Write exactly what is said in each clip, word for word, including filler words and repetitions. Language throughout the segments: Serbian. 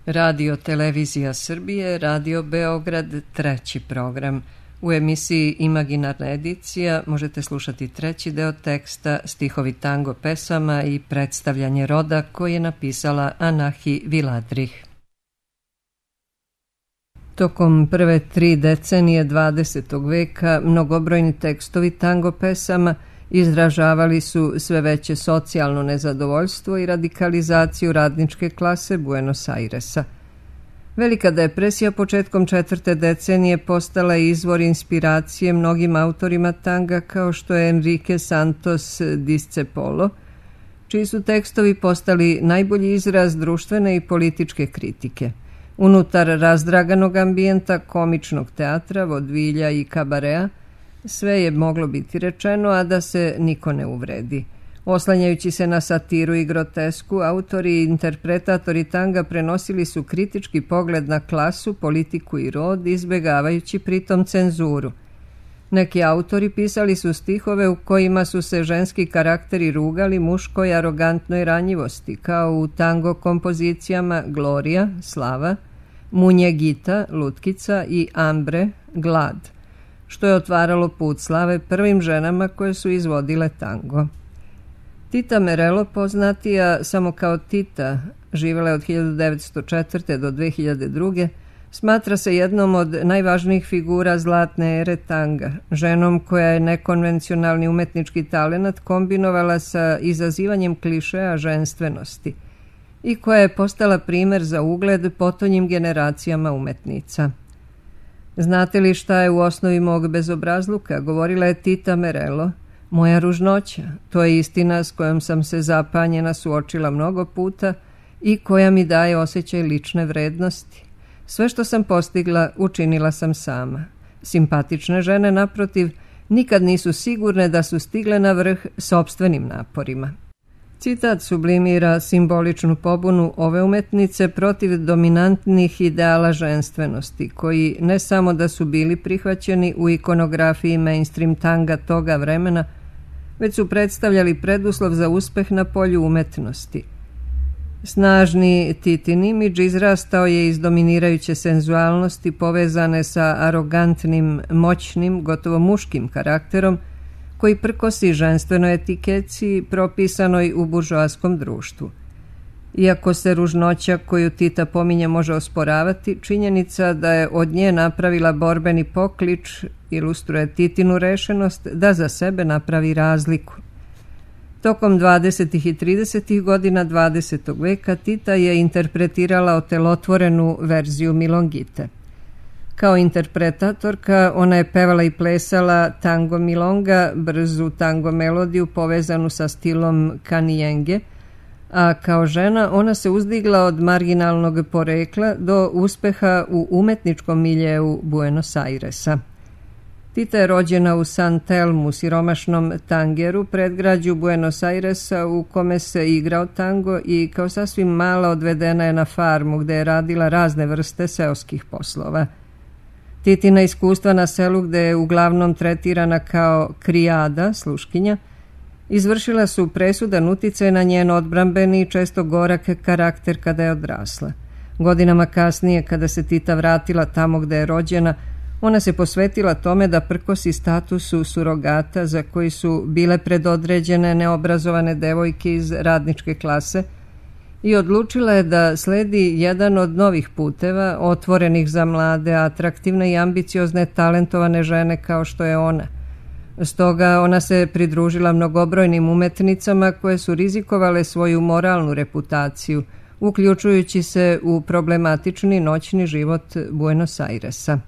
Radio Televizija Srbije, Radio Beograd, treći program. U emisiji Imaginarna edicija možete slušati treći deo teksta Stihovi tango pesama i predstavljanje roda koji je napisala Anahi Viladrih. Tokom prve tri decenije dvadesetog veka mnogobrojni tekstovi tango pesama izražavali su sve veće socijalno nezadovoljstvo i radikalizaciju radničke klase Buenos Airesa. Velika depresija početkom četvrte decenije postala je izvor inspiracije mnogim autorima tanga kao što je Enrique Santos Discepolo, čiji su tekstovi postali najbolji izraz društvene i političke kritike. Unutar razdraganog ambijenta komičnog teatra, vodvilja i kabarea, sve je moglo biti rečeno, a da se niko ne uvredi. Oslanjajući se na satiru i grotesku, autori i interpretatori tanga prenosili su kritički pogled na klasu, politiku i rod, izbegavajući pritom cenzuru. Neki autori pisali su stihove u kojima su se ženski karakteri rugali muškoj arogantnoj ranjivosti, kao u tango kompozicijama Gloria, Slava, Munjegita, Lutkica i Ambre, Glad, što je otvaralo put slave prvim ženama koje su izvodile tango. Tita Merelo, poznatija samo kao Tita, živjela je od hiljadu devetsto četvrte do dve hiljade druge, smatra se jednom od najvažnijih figura zlatne ere tanga, ženom koja je nekonvencionalni umetnički talenat kombinovala sa izazivanjem klišeja ženstvenosti i koja je postala primer za ugled potonjim generacijama umetnica. Znate li šta je u osnovi mog bezobrazluka, govorila je Tita Merelo, moja ružnoća, to je istina s kojom sam se zapanjena suočila mnogo puta i koja mi daje osjećaj lične vrednosti. Sve što sam postigla, učinila sam sama. Simpatične žene, naprotiv, nikad nisu sigurne da su stigle na vrh sopstvenim naporima. Citat sublimira simboličnu pobunu ove umetnice protiv dominantnih ideala ženstvenosti, koji ne samo da su bili prihvaćeni u ikonografiji mainstream tanga toga vremena, već su predstavljali preduslov za uspeh na polju umetnosti. Snažni Titin imidž izrastao je iz dominirajuće senzualnosti povezane sa arogantnim, moćnim, gotovo muškim karakterom, koji prkosi ženstvenoj etikeci propisanoj u buržoaskom društvu. Iako se ružnoća koju Tita pominje može osporavati, činjenica da je od nje napravila borbeni poklič ilustruje Titinu rešenost da za sebe napravi razliku. Tokom dvadesetih i tridesetih godina dvadesetog veka Tita je interpretirala otelotvorenu verziju Milongite. Kao interpretatorka ona je pevala i plesala tango milonga, brzu tango melodiju povezanu sa stilom kanijenge, a kao žena ona se uzdigla od marginalnog porekla do uspeha u umetničkom miljeu Buenos Airesa. Tita je rođena u San Telmu, siromašnom tangeru, predgrađu Buenos Airesa u kome se igrao tango i kao sasvim mala odvedena je na farmu gde je radila razne vrste seoskih poslova. Titina iskustva na selu gde je uglavnom tretirana kao krijada, sluškinja, izvršila su presudan uticaj na njen odbrambeni i često gorak karakter kada je odrasla. Godinama kasnije, kada se Tita vratila tamo gde je rođena, ona se posvetila tome da prkosi statusu surogata za koji su bile predodređene neobrazovane devojke iz radničke klase i odlučila je da sledi jedan od novih puteva, otvorenih za mlade, atraktivne i ambiciozne talentovane žene kao što je ona. Stoga ona se pridružila mnogobrojnim umetnicama koje su rizikovale svoju moralnu reputaciju, uključujući se u problematični noćni život Buenos Airesa.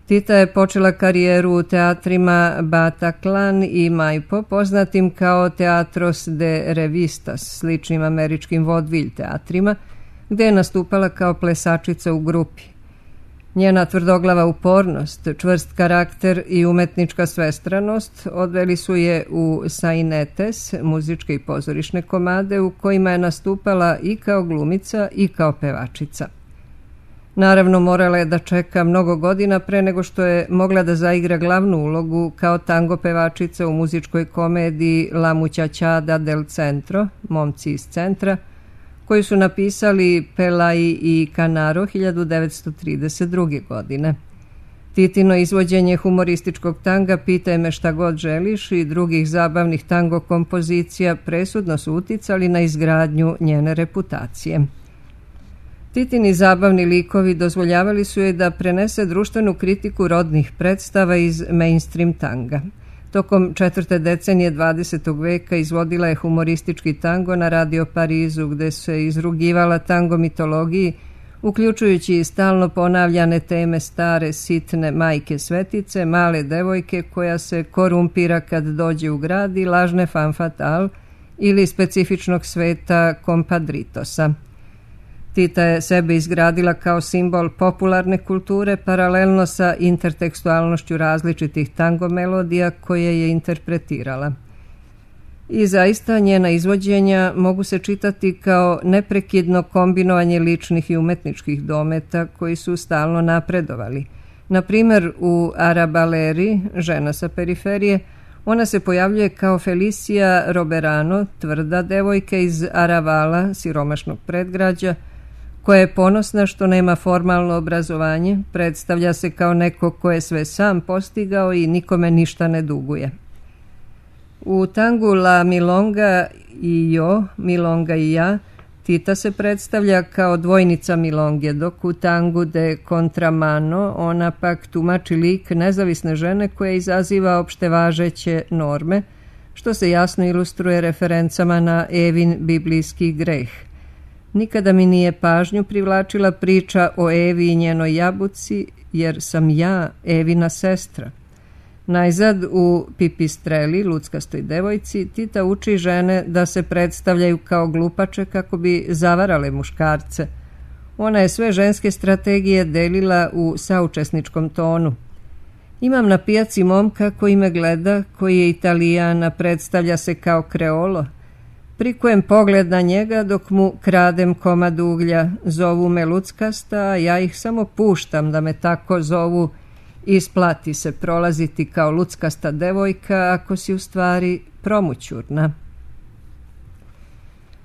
Tita je počela karijeru u teatrima Bataclan i Maipo, poznatim kao Teatros de Revistas, sličnim američkim vodvilj teatrima, gde je nastupala kao plesačica u grupi. Njena tvrdoglava upornost, čvrst karakter i umetnička svestranost odveli su je u sainetes, muzičke i pozorišne komade u kojima je nastupala i kao glumica i kao pevačica. Naravno, morala je da čeka mnogo godina pre nego što je mogla da zaigra glavnu ulogu kao tango pevačica u muzičkoj komediji La Muchachada del Centro, Momci iz centra, koju su napisali Pelaji i Canaro hiljadu devetsto trideset druge. godine. Titino izvođenje humorističkog tanga Pitaj me šta god želiš i drugih zabavnih tango kompozicija presudno su uticali na izgradnju njene reputacije. Titini zabavni likovi dozvoljavali su joj da prenese društvenu kritiku rodnih predstava iz mainstream tanga. Tokom četvrte decenije dvadesetog veka izvodila je humoristički tango na Radio Parizu, gde se izrugivala tango mitologiji, uključujući i stalno ponavljane teme stare, sitne majke svetice, male devojke koja se korumpira kad dođe u grad i lažne femme fatale ili specifičnog sveta kompadritosa. Tita je sebe izgradila kao simbol popularne kulture paralelno sa intertekstualnošću različitih tango melodija koje je interpretirala. I zaista njena izvođenja mogu se čitati kao neprekidno kombinovanje ličnih i umetničkih dometa koji su stalno napredovali. Na primjer, u Arabaleri, žena sa periferije, ona se pojavljuje kao Felicia Roberano, tvrda devojka iz Aravala, siromašnog predgrađa, koja je ponosna što nema formalno obrazovanje, predstavlja se kao neko ko je sve sam postigao i nikome ništa ne duguje. U tangu La Milonga i Jo, Milonga i ja, Tita se predstavlja kao dvojnica Milonge, dok u tangu De Contramano ona pak tumači lik nezavisne žene koja izaziva opštevažeće norme, što se jasno ilustruje referencama na Evin biblijski greh. Nikada mi nije pažnju privlačila priča o Evi i njenoj jabuci, jer sam ja Evina sestra. Najzad u Pipistreli, luckastoj devojci, Tita uči žene da se predstavljaju kao glupače kako bi zavarale muškarce. Ona je sve ženske strategije delila u saučesničkom tonu. Imam na pijaci momka koji me gleda, koji je Italijana, predstavlja se kao kreolo. Prikujem pogled na njega dok mu kradem komad uglja. Zovu me luckasta, a ja ih samo puštam da me tako zovu. Isplati se prolaziti kao luckasta devojka ako si u stvari promućurna.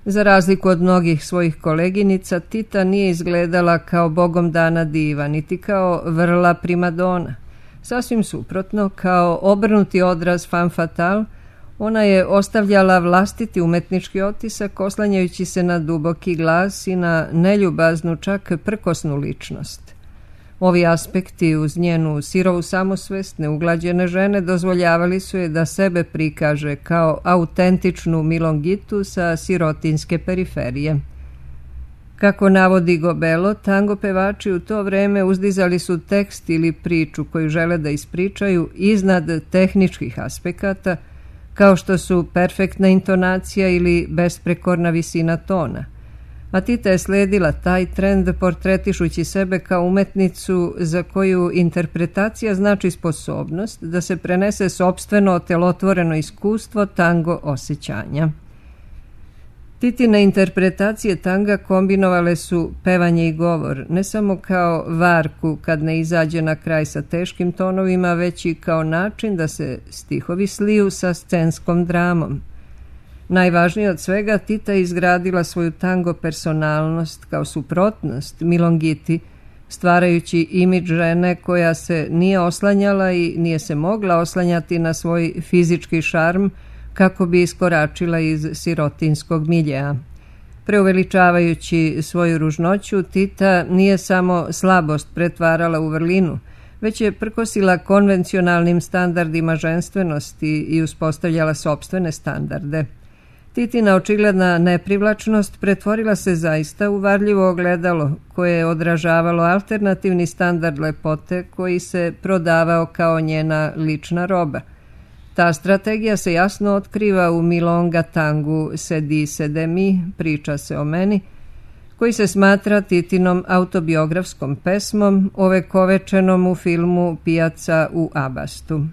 Za razliku od mnogih svojih koleginica, Tita nije izgledala kao bogom dana diva, niti kao vrla primadona. Sasvim suprotno, kao obrnuti odraz femme fatale, ona je ostavljala vlastiti umetnički otisak oslanjajući se na duboki glas i na neljubaznu, čak prkosnu ličnost. Ovi aspekti uz njenu sirovu samosvest neuglađene žene dozvoljavali su je da sebe prikaže kao autentičnu milongitu sa sirotinske periferije. Kako navodi Gobelo, tango pevači u to vreme uzdizali su tekst ili priču koju žele da ispričaju iznad tehničkih aspekata, kao što su perfektna intonacija ili besprekorna visina tona. A Tita je sledila taj trend portretišući sebe kao umetnicu za koju interpretacija znači sposobnost da se prenese sopstveno otelotvoreno iskustvo tango osjećanja. Titine interpretacije tanga kombinovale su pevanje i govor, ne samo kao varku kad ne izađe na kraj sa teškim tonovima, već i kao način da se stihovi sliju sa scenskom dramom. Najvažnije od svega, Tita je izgradila svoju tango personalnost kao suprotnost milongiti, stvarajući imidž žene koja se nije oslanjala i nije se mogla oslanjati na svoj fizički šarm kako bi iskoračila iz sirotinskog miljea. Preuveličavajući svoju ružnoću, Tita nije samo slabost pretvarala u vrlinu, već je prkosila konvencionalnim standardima ženstvenosti i uspostavljala sopstvene standarde. Titina očigledna neprivlačnost pretvorila se zaista u varljivo ogledalo koje je odražavalo alternativni standard lepote koji se prodavao kao njena lična roba. Ta strategija se jasno otkriva u Milonga tangu Se dice de mi, priča se o meni, koji se smatra Titinom autobiografskom pesmom ovekovečenom u filmu Pijaca u Abastu.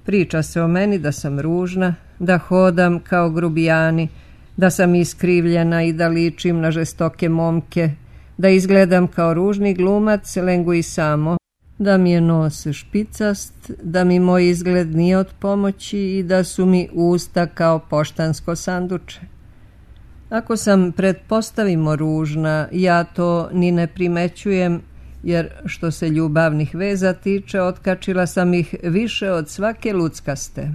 Priča se o meni da sam ružna, da hodam kao grubijani, da sam iskrivljena i da ličim na žestoke momke, da izgledam kao ružni glumac Lenguisamo, da mi je nos špicast, da mi moj izgled nije od pomoći i da su mi usta kao poštansko sanduče. Ako sam pretpostavimo ružna, ja to ni ne primećujem, jer što se ljubavnih veza tiče, otkačila sam ih više od svake luckaste.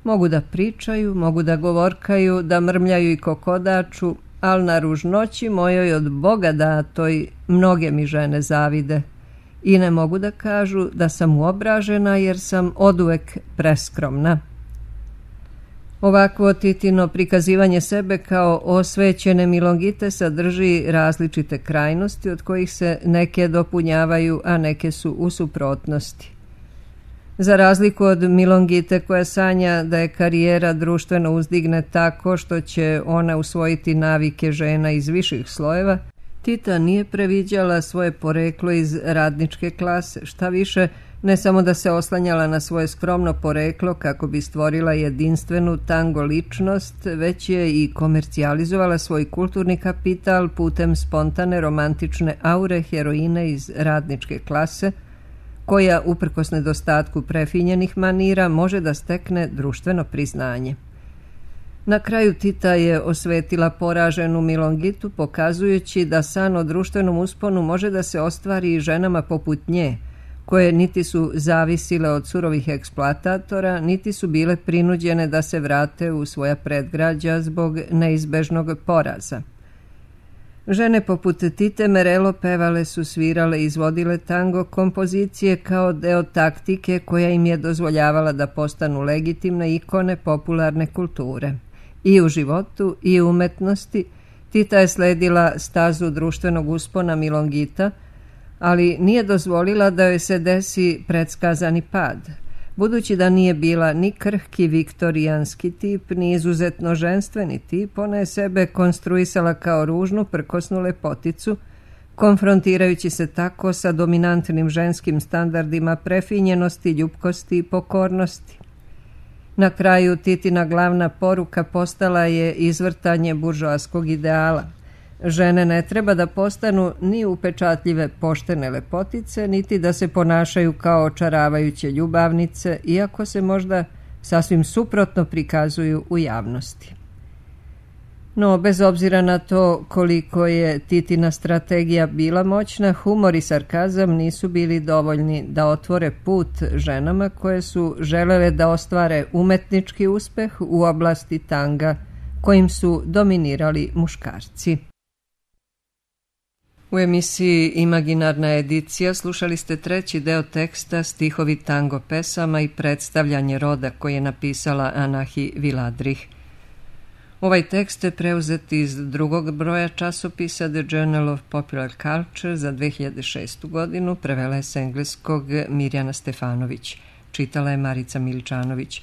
Mogu da pričaju, mogu da govorkaju, da mrmljaju i kokodaču, al na ružnoći mojoj od Boga datoj mnoge mi žene zavide i ne mogu da kažu da sam uobražena jer sam oduvek preskromna. Ovakvo Titino prikazivanje sebe kao osvećene milongite sadrži različite krajnosti od kojih se neke dopunjavaju, a neke su u suprotnosti. Za razliku od milongite koja sanja da je karijera društveno uzdigne tako što će ona usvojiti navike žena iz viših slojeva, Tita nije previđala svoje poreklo iz radničke klase, šta više, ne samo da se oslanjala na svoje skromno poreklo kako bi stvorila jedinstvenu tango ličnost, već je i komercijalizovala svoj kulturni kapital putem spontane romantične aure heroine iz radničke klase, koja, uprkos nedostatku prefinjenih manira, može da stekne društveno priznanje. Na kraju Tita je osvetila poraženu milongitu, pokazujući da san o društvenom usponu može da se ostvari i ženama poput nje, koje niti su zavisile od surovih eksploatatora, niti su bile prinuđene da se vrate u svoja predgrađa zbog neizbežnog poraza. Žene poput Tite Merelo pevale su, svirale i izvodile tango kompozicije kao deo taktike koja im je dozvoljavala da postanu legitimne ikone popularne kulture. I u životu i u umetnosti Tita je sledila stazu društvenog uspona milongita, ali nije dozvolila da joj se desi predskazani pad. Budući da nije bila ni krhki viktorijanski tip, ni izuzetno ženstveni tip, ona je sebe konstruisala kao ružnu, prkosnu lepoticu, konfrontirajući se tako sa dominantnim ženskim standardima prefinjenosti, ljupkosti i pokornosti. Na kraju Titina glavna poruka postala je izvrtanje buržoaskog ideala. Žene ne treba da postanu ni upečatljive poštene lepotice, niti da se ponašaju kao očaravajuće ljubavnice, iako se možda sasvim suprotno prikazuju u javnosti. No, bez obzira na to koliko je Titina strategija bila moćna, humor i sarkazam nisu bili dovoljni da otvore put ženama koje su želele da ostvare umetnički uspeh u oblasti tanga, kojim su dominirali muškarci. U emisiji Imaginarna edicija slušali ste treći deo teksta Stihovi tango pesama i predstavljanje roda koji je napisala Anahi Viladrih. Ovaj tekst je preuzet iz drugog broja časopisa The Journal of Popular Culture za dve hiljade šestu godinu, prevela je s engleskog Mirjana Stefanović. Čitala je Marica Miličanović.